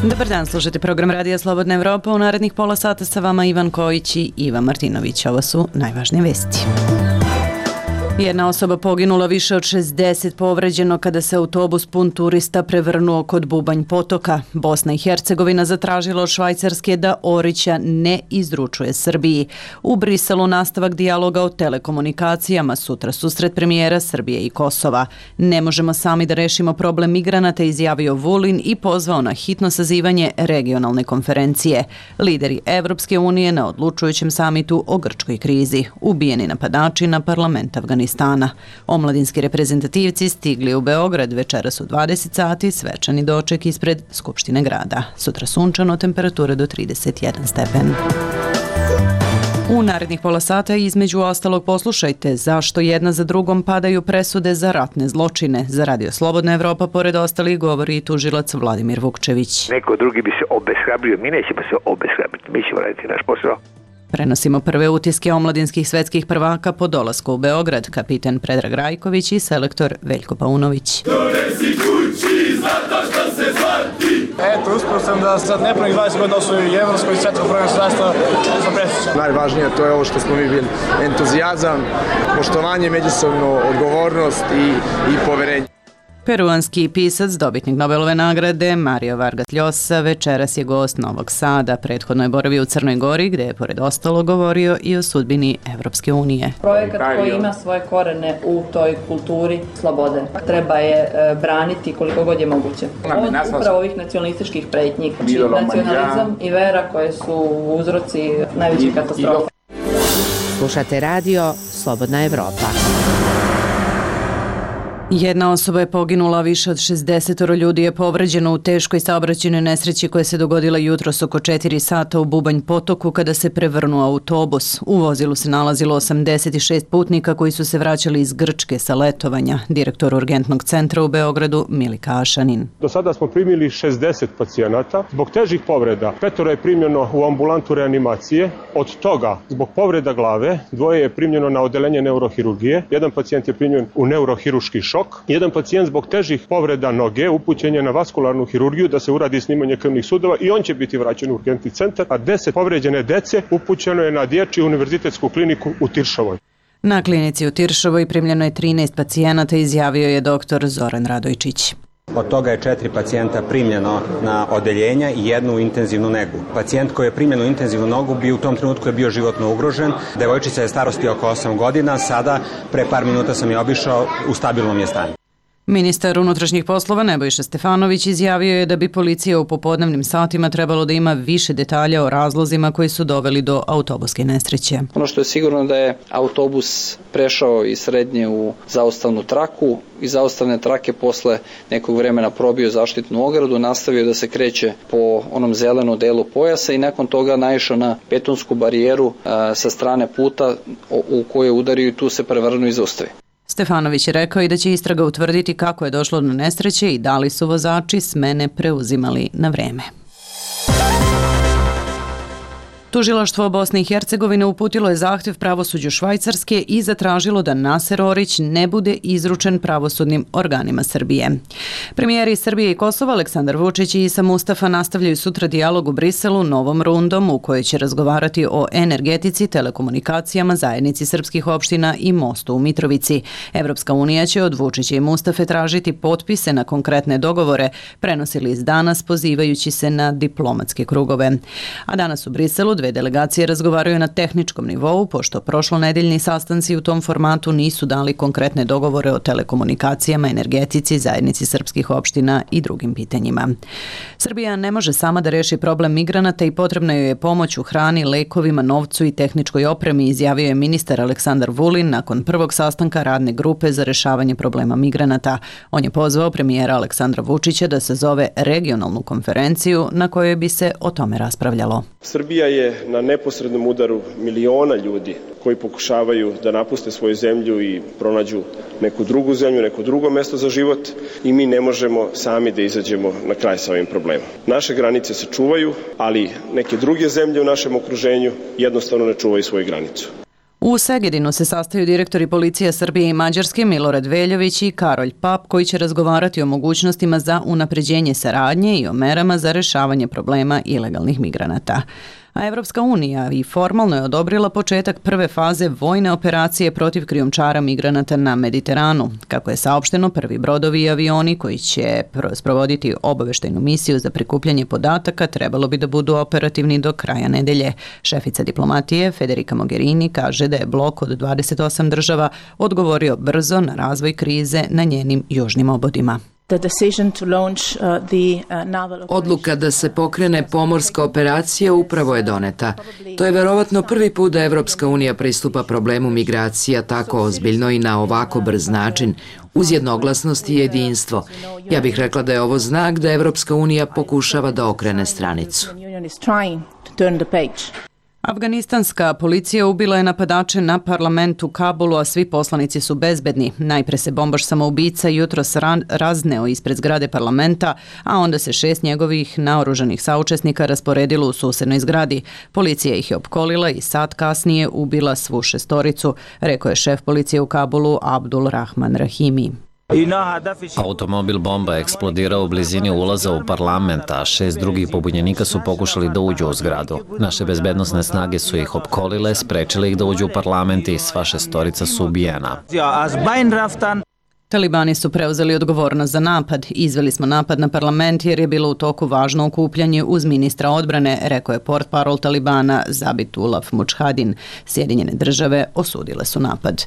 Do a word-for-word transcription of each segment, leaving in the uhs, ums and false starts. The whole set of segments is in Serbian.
Dobar dan, slušajte program Radija Slobodna Evropa. U narednih pola sata sa vama Ivan Kojić i Ivan Martinović. Ovo su najvažnije vesti. Jedna osoba poginula, više od šezdeset povređeno kada se autobus pun turista prevrnuo kod Bubanj potoka. Bosna i Hercegovina zatražila od Švajcarske da Orića ne izručuje Srbiji. U Briselu nastavak dijaloga o telekomunikacijama, sutra susret premijera Srbije i Kosova. Ne možemo sami da rešimo problem migranata, izjavio Vulin i pozvao na hitno sazivanje regionalne konferencije. Lideri Evropske unije na odlučujućem samitu o grčkoj krizi. Ubijeni napadači na parlament Afganistana. Omladinski reprezentativci stigli u Beograd večeras u dvadeset sati, svečani doček ispred Skupštine grada. Sutra sunčano, temperatura do trideset jedan stepen. U narednih pola sata između ostalog poslušajte zašto jedna za drugom padaju presude za ratne zločine. Za Radio Slobodna Evropa pored ostalih govori i tužilac Vladimir Vukčević. Neko drugi bi se obeshrabrio, mi nećemo se obeshrabriti, mi ćemo raditi naš posao. Prenosimo prve utiske omladinskih svetskih prvaka po dolasku u Beograd, kapiten Predrag Rajković i selektor Veljko Paunović. Donesi kući zato što se zvati. Eto, uspio sam da sad nepunih dvadeset godina osvoju i evropsko i svetsko prvenstvo, zaista sam presrećan. Najvažnije to je ovo što smo mi bili, entuzijazam, poštovanje, međusobno odgovornost i, i poverenje. Peruanski pisac, dobitnik Nobelove nagrade Mario Vargas Llosa večeras je gost Novog Sada. Prethodno je boravio u Crnoj Gori, gde je pored ostalo govorio i o sudbini Evropske unije. Projekat koji ima svoje korene u toj kulturi slobode. Treba je e, braniti koliko god je moguće. Od upravo ovih nacionalističkih pretnji, znači nacionalizam i vera koje su uzroci najvećih katastrofa. Slušate radio Slobodna Evropa. Jedna osoba je poginula, više od šezdeset ljudi je povređeno u teškoj saobraćajnoj nesreći koja se dogodila jutros oko četiri sata u Bubanj potoku kada se prevrnuo autobus. U vozilu se nalazilo osamdeset šest putnika koji su se vraćali iz Grčke sa letovanja. Direktor urgentnog centra u Beogradu Milika Ašanin. Do sada smo primili šezdeset pacijenata. Zbog težih povreda petoro je primljeno u ambulantu reanimacije. Od toga, zbog povreda glave, dvoje je primljeno na odeljenje neurohirurgije. Jedan pacijent je primljen u neurohiruški šok. Jedan pacijent zbog težih povreda noge upućen je na vaskularnu hirurgiju da se uradi snimanje krvnih sudova i on će biti vraćen u urgentni centar, a deset povređene dece upućeno je na Dječju univerzitetsku kliniku u Tiršovoj. Na klinici u Tiršovoj primljeno je trinaest pacijenata, izjavio je doktor Zoran Radojčić. Od toga je četiri pacijenta primljeno na odeljenja i jednu u intenzivnu negu. Pacijent koji je primljen u intenzivnu nogu bi u tom trenutku je bio životno ugrožen. Devojčica je starosti oko osam godina, sada pre par minuta sam je obišao, u stabilnom je stanju. Ministar unutrašnjih poslova Nebojša Stefanović izjavio je da bi policija u popodnevnim satima trebalo da ima više detalja o razlozima koji su doveli do autobuske nesreće. Ono što je sigurno da je autobus prešao iz srednje u zaustavnu traku, iz zaustavne trake posle nekog vremena probio zaštitnu ogradu, nastavio da se kreće po onom zelenom delu pojasa i nakon toga naišao na betonsku barijeru a, sa strane puta u, u kojoj udario i tu se prevrnuo i zaustavi. Stefanović je rekao i da će istraga utvrditi kako je došlo do nesreće i da li su vozači smene preuzimali na vreme. Tužilaštvo Bosne i Hercegovine uputilo je zahtjev pravosuđu Švajcarske i zatražilo da Naser Orić ne bude izručen pravosudnim organima Srbije. Premijeri Srbije i Kosova Aleksandar Vučić i Isa Mustafa nastavljaju sutra dijalog u Briselu novom rundom u kojoj će razgovarati o energetici, telekomunikacijama, zajednici srpskih opština i mostu u Mitrovici. Evropska unija će od Vučića i Mustafe tražiti potpise na konkretne dogovore, prenosili iz danas pozivajući se na diplomatske krugove. A danas u Briselu dve delegacije razgovaraju na tehničkom nivou, pošto prošlonedeljni sastanci u tom formatu nisu dali konkretne dogovore o telekomunikacijama, energetici, zajednici srpskih opština i drugim pitanjima. Srbija ne može sama da reši problem migranata i potrebna joj je pomoć u hrani, lekovima, novcu i tehničkoj opremi, izjavio je ministar Aleksandar Vulin nakon prvog sastanka radne grupe za rešavanje problema migranata. On je pozvao premijera Aleksandra Vučića da sazove regionalnu konferenciju na kojoj bi se o tome raspravljalo. Srbija je na neposrednom udaru miliona ljudi koji pokušavaju da napuste svoju zemlju i pronađu neku drugu zemlju, neko drugo mesto za život i mi ne možemo sami da izađemo na kraj sa ovim problemom. Naše granice se čuvaju, ali neke druge zemlje u našem okruženju jednostavno ne čuvaju svoju granicu. U Segedinu se sastaju direktori policije Srbije i Mađarske Milorad Veljović i Karolj Pap, koji će razgovarati o mogućnostima za unapređenje saradnje i o merama za rešavanje problema ilegalnih migranata. A Evropska unija i formalno je odobrila početak prve faze vojne operacije protiv krijumčara migranata na Mediteranu. Kako je saopšteno, prvi brodovi i avioni koji će sprovoditi obaveštajnu misiju za prikupljanje podataka trebalo bi da budu operativni do kraja nedelje. Šefica diplomatije Federica Mogherini kaže da je blok od dvadeset osam država odgovorio brzo na razvoj krize na njenim južnim obodima. Odluka da se pokrene pomorska operacija upravo je doneta. To je verovatno prvi put da Evropska unija pristupa problemu migracija tako ozbiljno i na ovako brz način, uz jednoglasnost i jedinstvo. Ja bih rekla da je ovo znak da Evropska unija pokušava da okrene stranicu. Afganistanska policija ubila je napadače na parlament u Kabulu, a svi poslanici su bezbedni. Najpre se bombaš samoubica jutros razneo ispred zgrade parlamenta, a onda se šest njegovih naoružanih saučesnika rasporedilo u susednoj zgradi. Policija ih je opkolila i sat kasnije ubila svu šestoricu, rekao je šef policije u Kabulu Abdul Rahman Rahimi. Automobil bomba je eksplodirao u blizini ulaza u parlament, a šest drugih pobunjenika su pokušali da uđu u zgradu. Naše bezbednosne snage su ih opkolile, sprečile ih da uđu u parlament i sva šestorica su ubijena. Talibani su preuzeli odgovornost za napad. Izveli smo napad na parlament jer je bilo u toku važno okupljanje uz ministra odbrane, rekao je portparol Talibana Zabitullah Mujahedin. Sjedinjene države osudile su napad.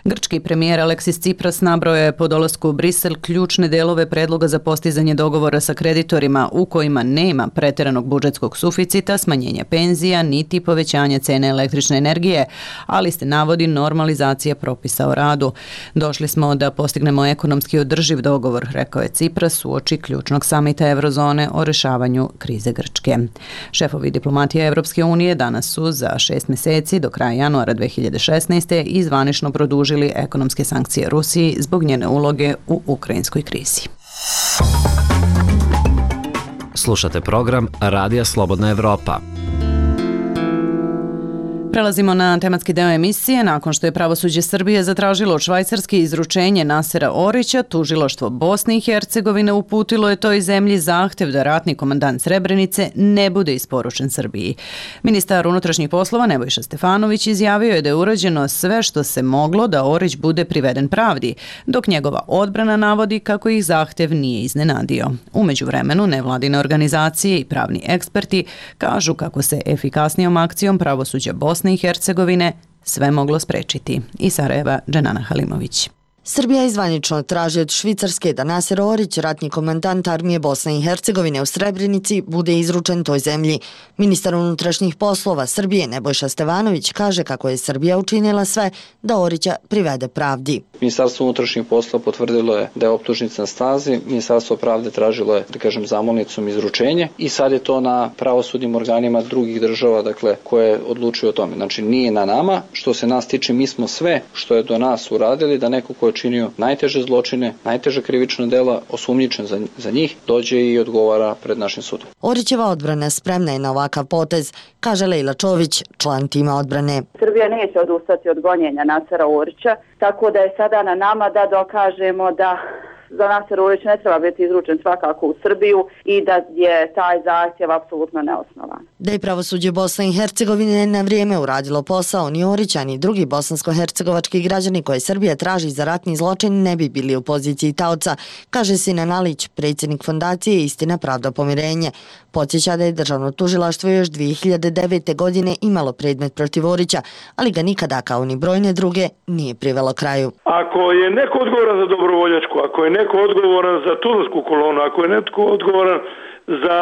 Grčki premijer Aleksis Tsipras nabrojao je po dolasku u Brisel ključne delove predloga za postizanje dogovora sa kreditorima u kojima nema preteranog budžetskog suficita, smanjenja penzija, niti povećanja cene električne energije, ali se navodi normalizacija propisa o radu. Došli smo da postignemo ekonomski održiv dogovor, rekao je Tsipras uoči ključnog samita Eurozone o rešavanju krize Grčke. Šefovi diplomatije Evropske unije danas su za šest meseci do kraja januara dve hiljade šesnaeste izvanično produžili ekonomske sankcije Rusiji zbog njene uloge u ukrajinskoj krizi. Slušate program Radija Slobodna Evropa. Prelazimo na tematski deo emisije. Nakon što je pravosuđe Srbije zatražilo od Švajcarske izručenje Nasera Orića, tužilaštvo Bosne i Hercegovine uputilo je toj zemlji zahtev da ratni komandant Srebrenice ne bude isporučen Srbiji. Ministar unutrašnjih poslova Nebojša Stefanović izjavio je da je urađeno sve što se moglo da Orić bude priveden pravdi, dok njegova odbrana navodi kako ih zahtev nije iznenadio. U međuvremenu nevladine organizacije i pravni eksperti kažu kako se efikasnijom akcijom pravosuđa Bosne i Hercegovine sve moglo sprečiti. Iz Sarajeva, Dženana Halimović. Srbija izvanično traži od Švicarske da Naser Orić, ratni komandant armije Bosne i Hercegovine u Srebrenici, bude izručen toj zemlji. Ministar unutrašnjih poslova Srbije Nebojša Stefanović kaže kako je Srbija učinila sve da Orića privede pravdi. Ministarstvo unutrašnjih poslova potvrdilo je da je optužnica na stazi, Ministarstvo pravde tražilo je, da kažem, zamolnicom izručenje i sad je to na pravosudnim organima drugih država, dakle, koje odlučuju o tome. Znači, nije na nama, što se nas tiče, mi smo sve što je do nas uradili, da neko ko je činio najteže zločine, najteže krivična dela, osumnjičen za, za njih, dođe i odgovara pred našim sudom. Orićeva odbrana spremna je na ovakav potez, kaže Lejla Čović, član tima odbrane. Srbija neće odustati od gonjenja Nasera Orića, tako da je sada na nama da dokažemo da za Naser Orić ne treba biti izručen svakako u Srbiju i da je taj zahtjev apsolutno neosnovan. Da je pravosuđe Bosne i Hercegovine na vrijeme uradilo posao, ni Orića ni drugi bosansko-hercegovački građani koje Srbija traži za ratni zločin ne bi bili u poziciji taoca, kaže Sinan Alić, predsjednik fondacije Istina, pravda, pomirenje. Podsjeća da je državno tužilaštvo još dvije hiljade devete. godine imalo predmet protiv Orića, ali ga nikada, kao ni brojne druge, nije privelo kraju. Ako je neko odgovoran za dobrovoljačku, ako je neko odgovoran za tuzlansku kolonu, ako je netko odgovoran za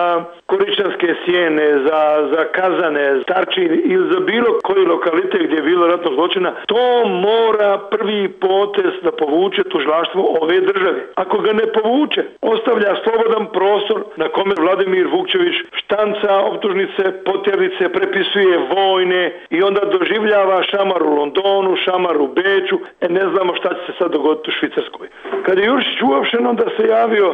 Koričanske sjene, za, za Kazane, Starčin ili za bilo koji lokalitet gdje je bilo ratnog zločina, to mora prvi potez da povuče tužilaštvo ove države. Ako ga ne povuče, ostavlja slobodan prostor na kome Vladimir Vukčević štanca optužnice, potjernice, prepisuje vojne i onda doživljava šamar u Londonu, šamar u Beču, e ne znamo šta će se sad dogoditi u Švicarskoj. Kad je Jurčić uopšen, onda se javio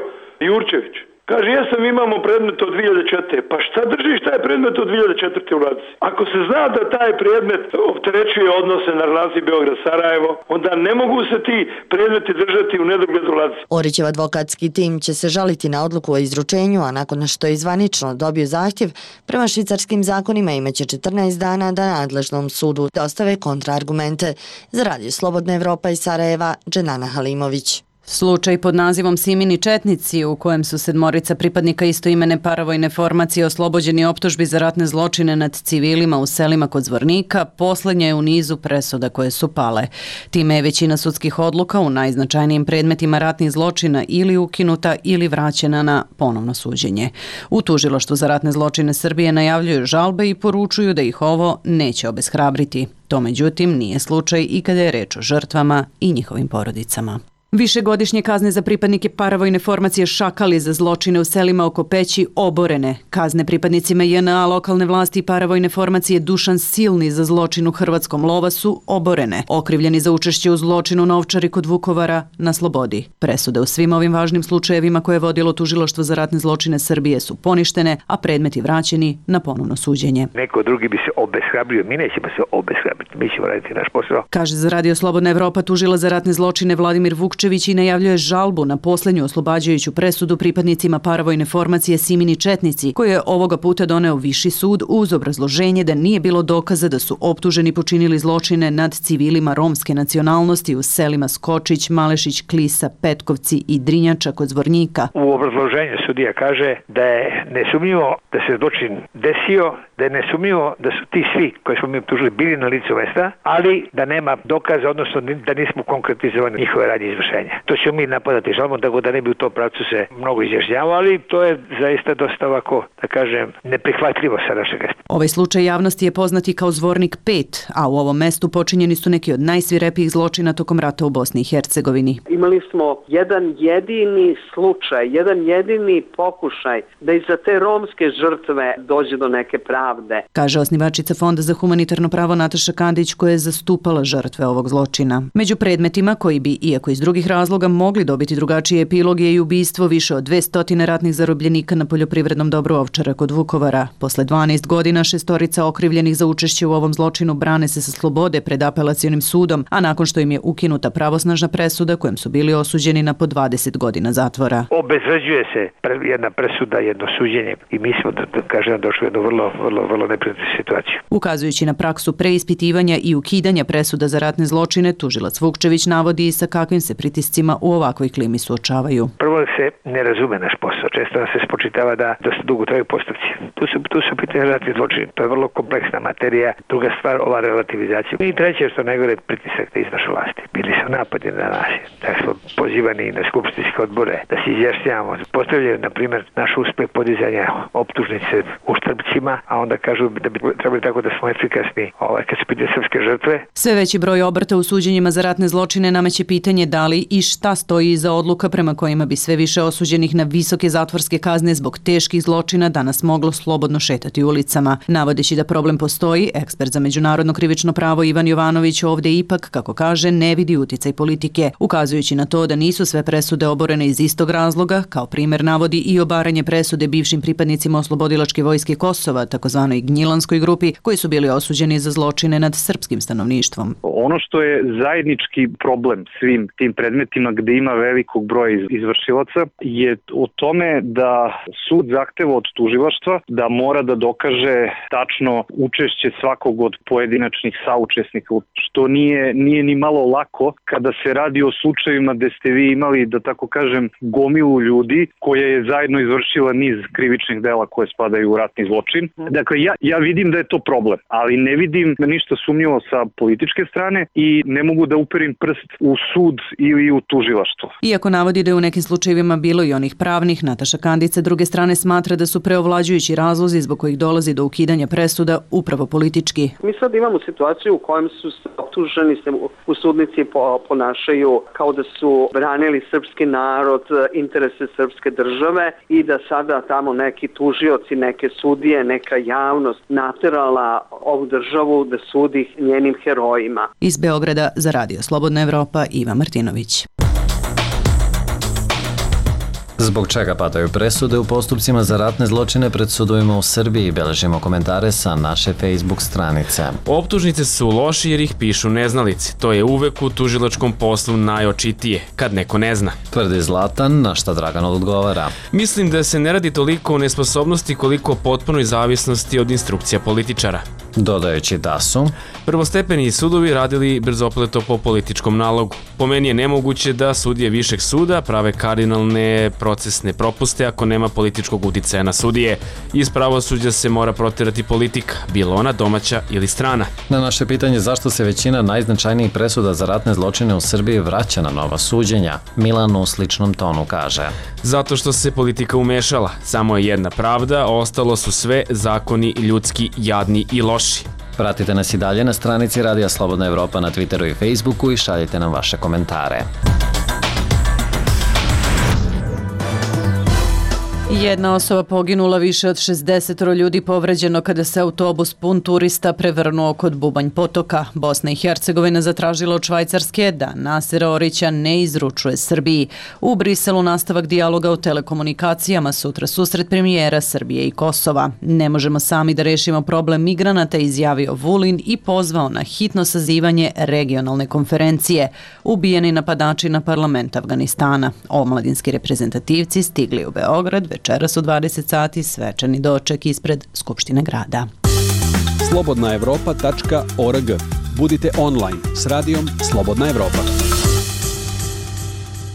Jurčević. Kaže, jesam, imamo predmet od dvije hiljade četvrte. Pa šta držiš taj predmet od dvije hiljade četvrte u ladici? Ako se zna da taj predmet opterećuje odnose na relaciji Beograd-Sarajevo, onda ne mogu se ti predmeti držati u nedogled u ladici. Orićev advokatski tim će se žaliti na odluku o izručenju, a nakon što je zvanično dobio zahtjev, prema švicarskim zakonima imaće četrnaest dana da nadležnom sudu dostave kontraargumente. Za Radio Slobodna Evropa iz Sarajeva, Dženana Halimović. Slučaj pod nazivom Simini četnici, u kojem su sedmorica pripadnika istoimene paravojne formacije oslobođeni optužbi za ratne zločine nad civilima u selima kod Zvornika, poslednja je u nizu presuda koje su pale. Time je većina sudskih odluka u najznačajnijim predmetima ratnih zločina ili ukinuta ili vraćena na ponovno suđenje. U Tužilaštvu za ratne zločine Srbije najavljuju žalbe i poručuju da ih ovo neće obeshrabriti. To međutim nije slučaj i kada je reč o žrtvama i njihovim porodicama. Višegodišnje kazne za pripadnike paravojne formacije Šakali za zločine u selima oko Peći oborene. Kazne pripadnicima J N A, lokalne vlasti i paravojne formacije Dušan Silni za zločin u Hrvatskom Lovasu oborene. Okrivljeni za učešće u zločinu na Ovčari kod Vukovara na slobodi. Presude u svim ovim važnim slučajevima koje je vodilo Tužilaštvo za ratne zločine Srbije su poništene, a predmeti vraćeni na ponovno suđenje. Neko drugi bi se obeshrabrio, mi nećemo se obeshrabriti, mi ćemo raditi naš posao. Kaže za Radio Slobodna Evropa tužilac za ratne zločine Vladimir Vukčević i najavljuje žalbu na poslednju oslobađajuću presudu pripadnicima paravojne formacije Simini četnici, koju je ovoga puta doneo Viši sud uz obrazloženje da nije bilo dokaza da su optuženi počinili zločine nad civilima romske nacionalnosti u selima Skočić, Malešić, Klisa, Petkovci i Drinjača kod Zvornika. U obrazloženju sudija kaže da je nesumnjivo da se zločin desio, da je nesumnjivo da su ti svi koji smo mi optužili bili na licu mesta, ali da nema dokaza, odnosno da nismo konkretizovali njihove radnje izvršenja. To ćemo mi napadati žalbom, tako da ne bi u tom pravcu se mnogo izjašnjavao, ali to je zaista dosta ovako, da kažem, neprihvatljivo sa našeg mesta. Ovaj slučaj javnosti je poznati kao Zvornik pet, a u ovom mestu počinjeni su neki od najsvirepijih zločina tokom rata u Bosni i Hercegovini. Imali smo jedan jedini slučaj, jedan jedini pokušaj da i za te romske žrtve dođe do neke pravde. Kaže osnivačica Fonda za humanitarno pravo Nataša Kandić, koja je zastupala žrtve ovog zločina. Među predmetima koji bi, iako iz drugih razloga, mogli dobiti drugačiji epilog je i ubistvo više od dvesta ratnih zarobljenika na poljoprivrednom dobru Ovčara kod Vukovara. Posle dvanaest godina šestorica okrivljenih za učešće u ovom zločinu brane se sa slobode pred apelacionim sudom, a nakon što im je ukinuta pravosnažna presuda kojem su bili osuđeni na po dvadeset godina zatvora. Obezvređuje se jedna presuda, jedno suđenje i mi smo, da, da kažem, došli u jednu vrlo, vrlo, vrlo neprijatnu situaciju. Ukazujući na praksu preispitivanja i ukidanja presuda za ratne zločine, tužilac Vukčević navodi i sa kakvim se pritiscima u ovakvoj klimi suočavaju. Prvo se ne razume naš posao. Često nam se spočitava da dosta dugo traju postupci. Tu su, tu su pitanje ratni zločini. To je vrlo kompleksna materija. Druga stvar, ova relativizacija. I treće što najgore, pritisak da izvrše vlasti. Bili su napadi na nas. Da smo pozivani na skupštinske odbore da se izjašnjavamo. Postavljaju, na primjer, naš uspeh podizanja optužnice uštrpcima, a onda kažu da bi trebali tako da smo efikasni ovaj, kad se pitaju srpske žrtve. Sve veći broj obrta u suđenjima za ratne zločine nameće pitanje da li i šta stoji iza odluka prema kojima bi sve više osuđenih na visoke zatvorske kazne zbog teških zločina danas moglo slobodno šetati ulicama. Navodeći da problem postoji, ekspert za međunarodno krivično pravo Ivan Jovanović ovde ipak, kako kaže, ne vidi uticaj politike, ukazujući na to da nisu sve presude oborene iz istog razloga, kao primer navodi i obaranje presude bivšim pripadnicima Oslobodilačke vojske Kosova, takozvanoj Gnjilanskoj grupi, koji su bili osuđeni za zločine nad srpskim stanovništvom. Ono što je zajednički problem svim tim predmetima gde ima velikog broja izvršilaca je o tome da sud zahteva od tužilaštva da mora da dokaže tačno učešće svakog od pojedinačnih saučesnika, što nije, nije ni malo lako kada se radi o slučajevima gde ste vi imali, da tako kažem, gomilu ljudi koja je zajedno izvršila niz krivičnih dela koje spadaju u ratni zločin. Dakle, ja, ja vidim da je to problem, ali ne vidim ništa sumnjivo sa političke strane i ne mogu da uperim prst u sud ili u tužilaštvo. Iako navodi da je u nekim slučajevima bilo i onih pravnih, Nataša Kandić druge strane smatra da su preovlađujući razlozi zbog kojih dolazi do ukidanja presuda upravo politički. Mi sad imamo situaciju u kojem su optuženi se u sudnici ponašaju kao da su branili srpski narod, interese srpske države i da sada tamo neki tužioci, neke sudije, neka javnost naterala ovu državu da sudi njenim herojima. Iz Beograda za Radio Slobodna Evropa Iva Martinović. Zbog čega padaju presude u postupcima za ratne zločine pred sudovima u Srbiji? Beležimo komentare sa naše Facebook stranice. Optužnice su loši jer ih pišu neznalici. To je uvek u tužilačkom poslu najočitije, kad neko ne zna. Tvrdi Zlatan, na šta Dragan odgovara. Mislim da se ne radi toliko o nesposobnosti koliko o potpunoj zavisnosti od instrukcija političara. Dodajući da su prvostepeni sudovi radili brzopleto po političkom nalogu. Po meni je nemoguće da sudije višeg suda prave kardinalne procesne propuste ako nema političkog uticaja na sudije. Iz pravosuđa se mora proterati politika, bilo ona domaća ili strana. Na naše pitanje zašto se većina najznačajnijih presuda za ratne zločine u Srbiji vraća na nova suđenja, Milan u sličnom tonu kaže. Zato što se politika umešala. Samo je jedna pravda, ostalo su sve zakoni ljudski, jadni i loši. Pratite nas i dalje na stranici Radija Slobodna Evropa na Twitteru i Facebooku i šaljite nam vaše komentare. Jedna osoba poginula, više od šezdeset ljudi povređeno kada se autobus pun turista prevrnuo kod Bubanj potoka. Bosna i Hercegovina zatražila od Švajcarske da Nasera Orića ne izručuje Srbiji. U Briselu nastavak dijaloga o telekomunikacijama, sutra susret premijera Srbije i Kosova. Ne možemo sami da rešimo problem migranata, izjavio Vulin i pozvao na hitno sazivanje regionalne konferencije. Ubijeni napadači na parlament Afganistana. Omladinski reprezentativci stigli u Beograd večeras u dvadeset sati, svečani doček ispred Skupštine grada. slobodna evropa tačka org. Budite online s radijom Slobodna Evropa.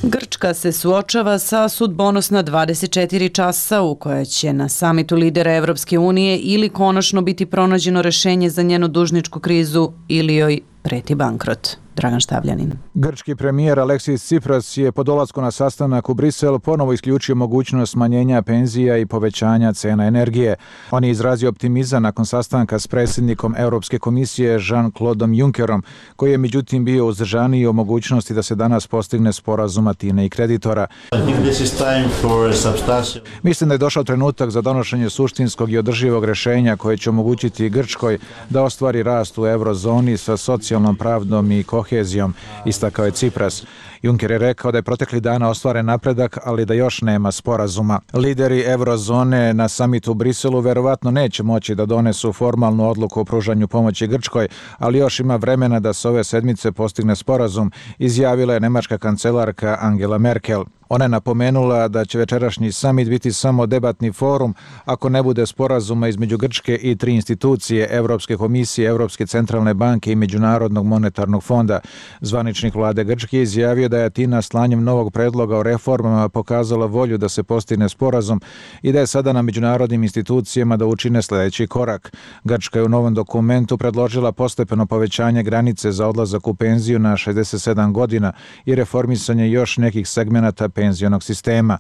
Grčka se suočava sa sudbonosna dvadeset četiri časa u kojoj će na samitu lidera Evropske unije ili konačno biti pronađeno rešenje za njenu dužničku krizu ili joj preti bankrot. Dragan Štavljanin. Grčki premijer Aleksis Tsipras je po dolasku na sastanak u Brisel ponovo isključio mogućnost smanjenja penzija i povećanja cena energije. On je izrazio optimizam nakon sastanka s predsjednikom Europske komisije Jean-Claudeom Junckerom, koji je međutim bio uzdržaniji o mogućnosti da se danas postigne sporazum Atine i kreditora. Mislim da je došao trenutak za donošenje suštinskog i održivog rešenja koje će omogućiti Grčkoj da ostvari rast u eurozoni sa socijalnom pravdom i kohezijom, istakao je Tsipras. Juncker je rekao da je protekli dana ostvaren napredak, ali da još nema sporazuma. Lideri eurozone na samitu u Briselu verovatno neće moći da donesu formalnu odluku o pružanju pomoći Grčkoj, ali još ima vremena da se ove sedmice postigne sporazum, izjavila je nemačka kancelarka Angela Merkel. Ona je napomenula da će večerašnji samit biti samo debatni forum ako ne bude sporazuma između Grčke i tri institucije, Evropske komisije, Evropske centralne banke i Međunarodnog monetarnog fonda. Zvaničnik vlade Grčke je izjavio da je Atina slanjem novog predloga o reformama pokazala volju da se postigne sporazum i da je sada na međunarodnim institucijama da učine sljedeći korak. Grčka je u novom dokumentu predložila postepeno povećanje granice za odlazak u penziju na šezdeset sedam godina i reformisanje još nekih segmenata penzionog sistema.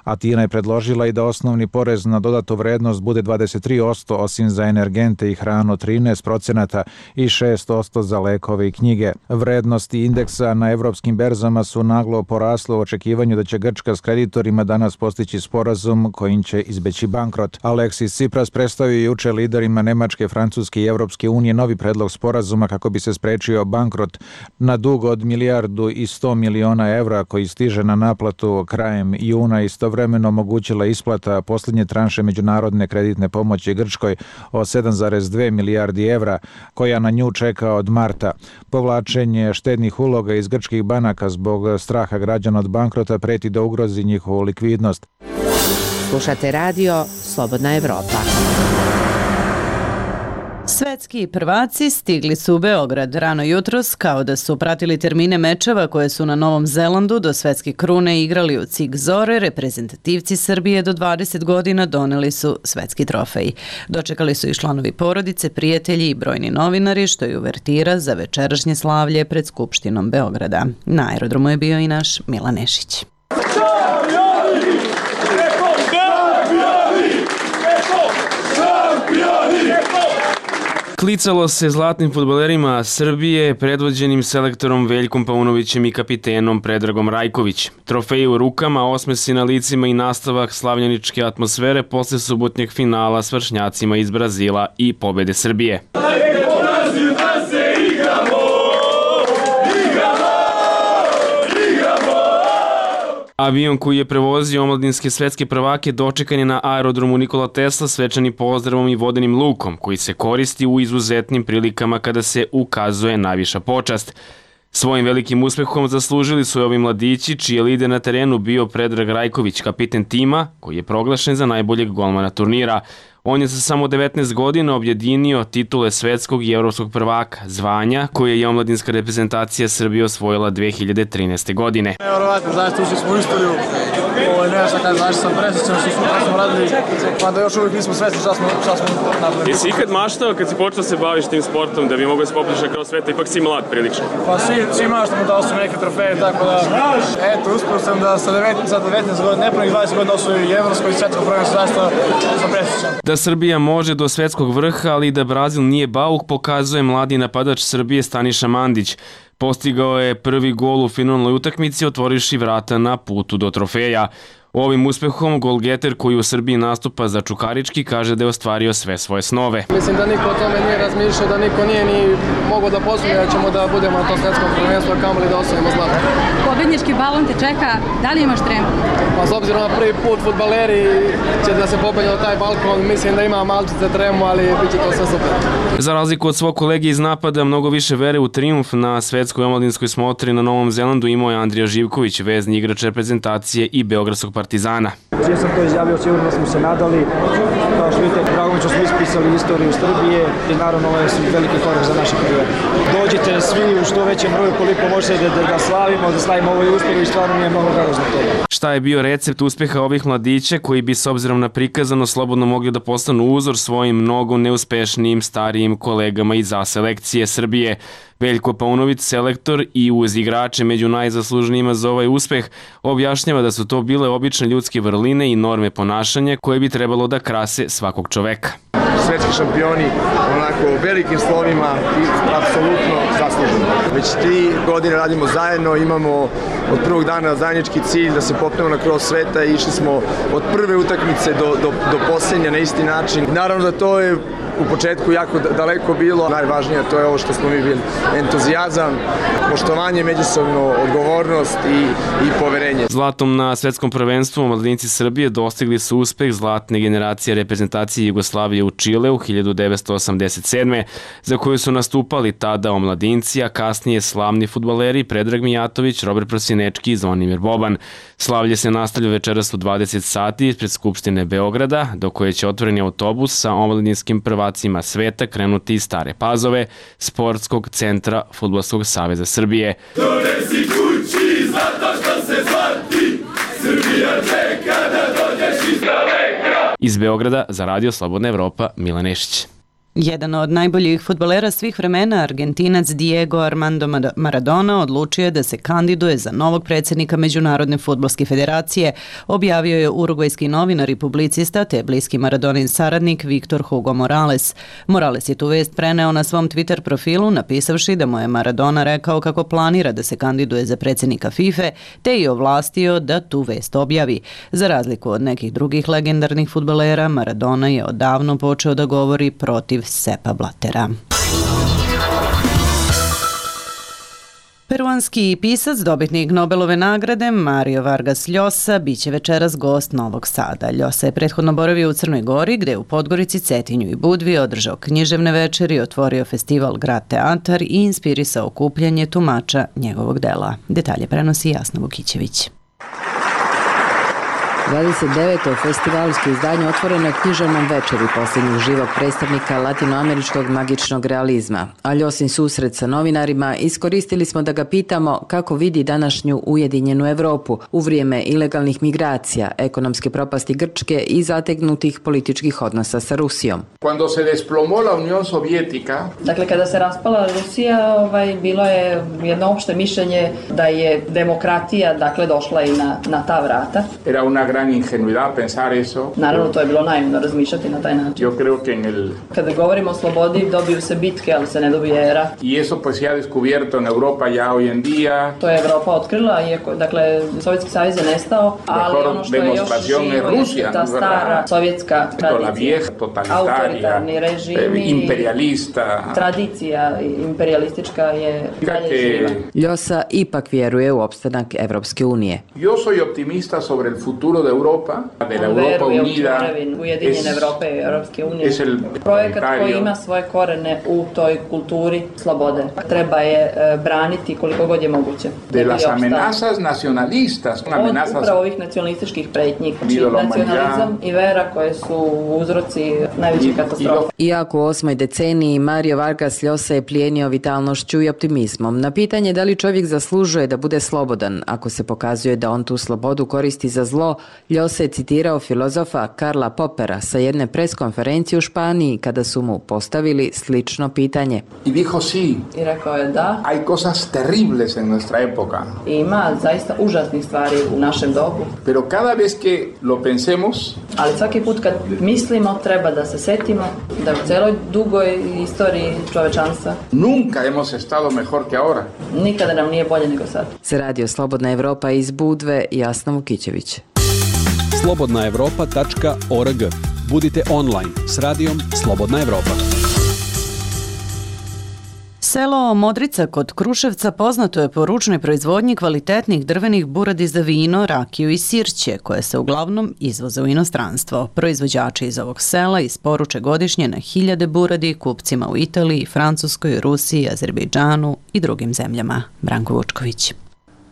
Atina je predložila i da osnovni porez na dodatu vrednost bude dvadeset tri posto, osim za energente i hranu trinaest procenata i šest posto za lekove i knjige. Vrednosti indeksa na evropskim berzama su naglo porasle u očekivanju da će Grčka s kreditorima danas postići sporazum kojim će izbeći bankrot. Aleksis Tsipras predstavio juče liderima Nemačke, Francuske i Evropske unije novi predlog sporazuma kako bi se sprečio bankrot na dug od milijardu i sto miliona evra koji stiže na naplatu krajem juna i istovremeno omogućila isplata posljednje tranše međunarodne kreditne pomoći Grčkoj od sedam zarez dve milijardi evra, koja na nju čeka od marta. Povlačenje štednih uloga iz grčkih banaka zbog straha građana od bankrota preti da ugrozi njihovu likvidnost. Slušate radio Slobodna Evropa. Svetski prvaci stigli su u Beograd rano jutros, kao da su pratili termine mečeva koje su na Novom Zelandu do svetske krune igrali u Cig Zore. Reprezentativci Srbije do dvadeset godina doneli su svetski trofej. Dočekali su i članovi porodice, prijatelji i brojni novinari, što je uvertira za večerašnje slavlje pred Skupštinom Beograda. Na aerodromu je bio i naš Milan Nešić. Klicalo se zlatnim fudbalerima Srbije predvođenim selektorom Veljkom Paunovićem i kapitenom Predragom Rajković. Trofeji u rukama, osmesi na licima i nastavak slavljeničke atmosfere posle subotnjeg finala s vršnjacima iz Brazila i pobede Srbije. Avion koji je prevozio omladinske svetske prvake dočekan je na aerodromu Nikola Tesla svečanim pozdravom i vodenim lukom, koji se koristi u izuzetnim prilikama kada se ukazuje najviša počast. Svojim velikim uspehom zaslužili su ovi mladići, čiji je lider na terenu bio Predrag Rajković, kapiten tima, koji je proglašen za najboljeg golmana turnira. On je sa samo devetnaest godina objedinio titule svetskog i evropskog prvaka, zvanja koje je omladinska reprezentacija Srbije osvojila dve hiljade trinaeste. godine. Nevjerovatno, zaista ušli smo u istoriju. Ovo je nešto kada zašto sam presjećan što smo, smo radili, pa da još uvijek nismo svesni šta smo, šta smo napravili. Jesi ikad maštao kad si počeo se baviš tim sportom da bi mogao se popliš kroz sveta, ipak si mlad prilično? Pa svi, svi maštamo da osvojim neke trofeje, tako da, eto, uspio sam da sa devetnaest godina, nepunih dvadeset godina osvojim i evropsko i svetsko prvenstvo, zaista sam presjećan. Da Srbija može do svetskog vrha, ali i da Brazil nije bauk, pokazuje mladi napadač Srbije Staniša Mandić. Postigao je prvi gol u finalnoj utakmici, otvorivši vrata na putu do trofeja. Ovim uspehom golgeter koji u Srbiji nastupa za Čukarički kaže da je ostvario sve svoje snove. Mislim da niko o tome nije razmišljao, da niko nije ni mogao da posluje da ćemo da budemo na to svetskom prvenstvu, a kamoli da osvojimo zlato. Pobednički balon te čeka, da li imaš tremu? Pa s obzirom na prvi put fudbaleri će da se popelje na taj balkon, mislim da ima malčice tremu, ali bit će to sve super. Za razliku od svog kolege iz napada, mnogo više vere u trijumf na svetskoj omladinskoj smotri na Novom Zelandu imao je Andrija Živković, vezni igrač reprezentacije i beogradskog Partizana. Čim sam to izjavio, sigurno smo se nadali. Kao što vidite, drago mi što smo ispisali istoriju Srbije i naravno ovo je veliki korak za naše karijere. Dođite svi u što većem broju koliko možete da, da slavimo, da slavimo ovaj uspeh i stvarno nije mnogo drago zbog toga. Šta je bio recept uspeha ovih mladića koji bi s obzirom na prikazano slobodno mogli da postanu uzor svojim mnogo neuspešnijim starijim kolegama iz A selekcije Srbije? Veljko Paunović, selektor i uz igrače među najzaslužnijima za ovaj uspeh, objašnjava da su to bile obične ljudske vrline i norme ponašanja koje bi trebalo da krase svakog čoveka. Svetski šampioni onako velikim slovima i apsolutno zasluženo. Već tri godine radimo zajedno, imamo od prvog dana zajednički cilj da se popnemo na krov sveta i išli smo od prve utakmice do, do, do posljednje na isti način. Naravno da to je u početku jako daleko bilo. Najvažnije to je ovo što smo mi bili. Entuzijazam, poštovanje, međusobno odgovornost i, i poverenje. Zlatom na svetskom prvenstvu omladinci Srbije dostigli su uspeh zlatne generacije reprezentacije Jugoslavije u Čileu hiljadu devetsto osamdeset sedme. za koju su nastupali tada omladinci, a kasnije slavni fudbaleri Predrag Mijatović, Robert Prosinečki i Zvonimir Boban. Slavlje se nastavlja večeras u dvadeset sati ispred Skupštine Beograda, do koje će otvoreni autobus sa omladinskim prvacima sveta krenuti iz Stare Pazove, Sportskog centra Fudbalskog saveza Srbije. Donesi kući zato što se zvati, Srbija čeka da dođeš iz daleka. Iz Beograda za Radio Slobodna Evropa, Milan Nešić. Jedan od najboljih fudbalera svih vremena, Argentinac Diego Armando Maradona, odlučio je da se kandiduje za novog predsjednika Međunarodne fudbalske federacije, objavio je urugvajski novinar i publicista te bliski Maradonin saradnik Viktor Hugo Morales. Morales je tu vest preneo na svom Twitter profilu, napisavši da mu je Maradona rekao kako planira da se kandiduje za predsjednika FIFA, te i ovlastio da tu vest objavi. Za razliku od nekih drugih legendarnih fudbalera, Maradona je odavno počeo da govori protiv Sepa Blatera. Peruanski pisac, dobitnik Nobelove nagrade Mario Vargas Llosa biće večeras gost Novog Sada. Llosa je prethodno boravio u Crnoj Gori, gde je u Podgorici, Cetinju i Budvi održao književne večeri, otvorio festival Grad Teatar i inspirisao okupljanje tumača njegovog dela. Detalje prenosi Jasna Vukićević. dvadeset deveto festivalsko izdanje otvoreno je književnom večeri posljednjeg živog predstavnika latinoameričkog magičnog realizma. A Ljosin susret sa novinarima iskoristili smo da ga pitamo kako vidi današnju ujedinjenu Evropu u vrijeme ilegalnih migracija, ekonomske propasti Grčke i zategnutih političkih odnosa sa Rusijom. Cuando se desplomó la Unión Soviética, dakle, kada se raspala Rusija, ovaj, bilo je jedno opšte mišljenje da je demokratija, dakle, došla i na, na ta vrata. Era una gran gran ingenuidad pensar eso. Naravno, to je bilo naivno razmišljati na taj način. Yo creo que en el... Kada govorimo o slobodi, dobiju se bitke, ali se ne dobije rat. Y eso pues se ha descubierto en Europa ya hoy en día. To je Evropa otkrila, iako, dakle, Sovjetski savez je nestao, ali ono što je još živo je ta stara sovjetska tradicija, autoritarni režimi, imperialista. Tradicija imperialistička je dalje živa. Ljosa ipak vjeruje u opstanak Evropske unije. Yo soy optimista sobre el futuro de Europa, de la Europa unida. Ujedinjene Evrope i Evropske unije. Projekat koji ima svoje korene u toj kulturi slobode. Treba je braniti koliko god je moguće. De las amenazas nacionalistas, amenazas od upravo ovih nacionalističkih pretnji, nacionalizam i vera koje su uzroci najvećih katastrofa. Iako u osmoj deceniji Mario Vargas Llosa je plijenio vitalnošću i optimizmom. Na pitanje da li čovjek zaslužuje da bude slobodan, ako se pokazuje da on tu slobodu koristi za zlo, Llosa je citirao filozofa Karla Popera sa jedne preskonferencije u Španiji kada su mu postavili slično pitanje. I dijo sí. I rekao je da. Hay cosas terribles en nuestra época. Ima zaista užasnih stvari u našem dobu. Pero cada vez que lo pensemos, ali svaki put kad mislimo treba da se setimo da u celoj dugoj istoriji čovečanstva nunca hemos estado mejor que ahora. Nikada nam nije bolje nego sad. Se radi o Slobodna Evropa iz Budve, Jasna Vukićević. slobodna evropa tačka org. Budite online s radijom Slobodna Evropa. Selo Modrica kod Kruševca poznato je po ručnoj proizvodnji kvalitetnih drvenih buradi za vino, rakiju i sirće, koje se uglavnom izvoze u inostranstvo. Proizvođači iz ovog sela isporuče godišnje na hiljade buradi kupcima u Italiji, Francuskoj, Rusiji, Azerbejdžanu i drugim zemljama. Branko Vučković.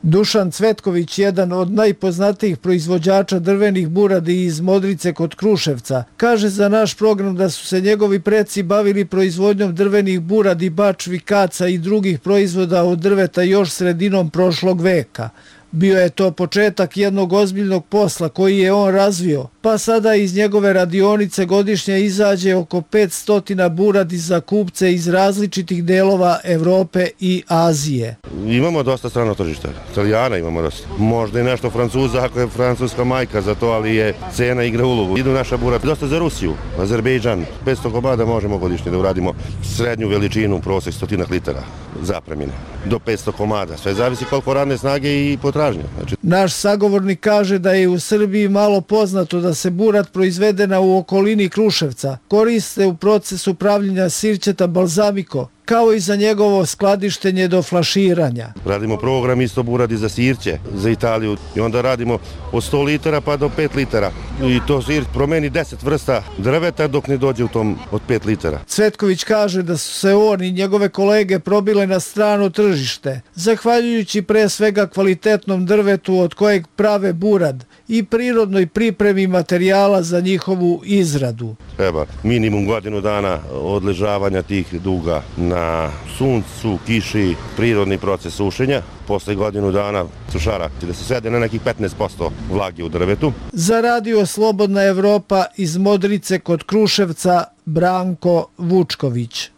Dušan Cvetković, jedan od najpoznatijih proizvođača drvenih buradi iz Modrice kod Kruševca, kaže za naš program da su se njegovi preci bavili proizvodnjom drvenih buradi, bačvi, kaca i drugih proizvoda od drveta još sredinom prošlog veka. Bio je to početak jednog ozbiljnog posla koji je on razvio, pa sada iz njegove radionice godišnje izađe oko petsto buradi za kupce iz različitih delova Evrope i Azije. Imamo dosta strano tržište, Italijana imamo dosta. Možda i nešto Francuza ako je francuska majka za to, ali je cena igra ulogu. Idu naša burada dosta za Rusiju, Azerbejdžan. petsto komada možemo godišnje da uradimo srednju veličinu, prosek stotinak litara zapremine. Do petsto komada, sve zavisi koliko radne snage i potražnje. Znači... Naš sagovornik kaže da je u Srbiji malo poznato da se burad proizvedena u okolini Kruševca koriste u procesu pravljenja sirćeta balzamiko, kao i za njegovo skladištenje do flaširanja. Radimo program isto buradi za sirće, za Italiju i onda radimo od sto litara pa do pet litara. I to sir promeni deset vrsta drveta dok ne dođe u tom od pet litara. Cvetković kaže da su se on i njegove kolege probile na strano tržište, zahvaljujući pre svega kvalitetnom drvetu od kojeg prave burad i prirodnoj pripremi materijala za njihovu izradu. Treba minimum godinu dana odležavanja tih duga na suncu, kiši, prirodni proces sušenja. Posle godinu dana sušara da se svede na nekih petnaest posto vlage u drvetu. Za radio Slobodna Evropa iz Modrice kod Kruševca, Branko Vučković.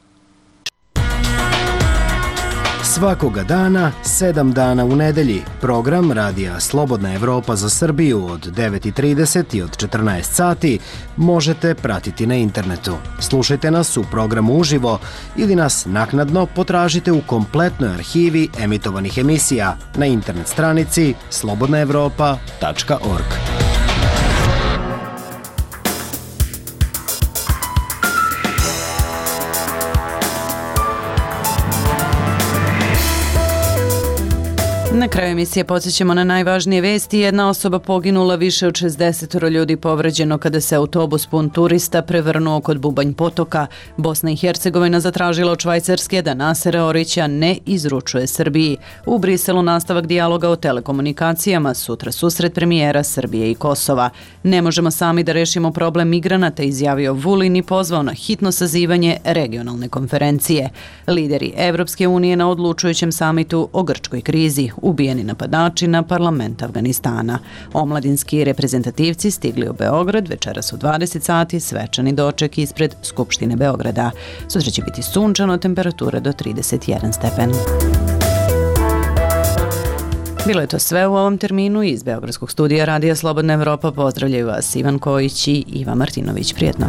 Svakoga dana, sedam dana u nedelji, program radija Slobodna Evropa za Srbiju od devet i trideset i od četrnaest sati možete pratiti na internetu. Slušajte nas u programu uživo ili nas naknadno potražite u kompletnoj arhivi emitovanih emisija na internet stranici slobodna evropa tačka org. Na kraju emisije podsjećamo na najvažnije vesti. Jedna osoba poginula, više od šezdeset ljudi povređeno kada se autobus pun turista prevrnuo kod Bubanj potoka. Bosna i Hercegovina zatražila od Švajcarske da Nasera Orića ne izručuje Srbiji. U Briselu nastavak dijaloga o telekomunikacijama, sutra susret premijera Srbije i Kosova. Ne možemo sami da rešimo problem migranata, izjavio Vulin i pozvao na hitno sazivanje regionalne konferencije. Lideri Evropske unije na odlučujućem samitu o grčkoj krizi. Ubijeni napadači na parlament Afganistana. Omladinski reprezentativci stigli u Beograd, večeras u dvadeset sati, svečani doček ispred Skupštine Beograda. Sutra će biti sunčano, temperatura do trideset jedan stepen. Bilo je to sve u ovom terminu. Iz Beogradskog studija Radija Slobodna Evropa pozdravljaju vas Ivan Kojić i Iva Martinović. Prijetno.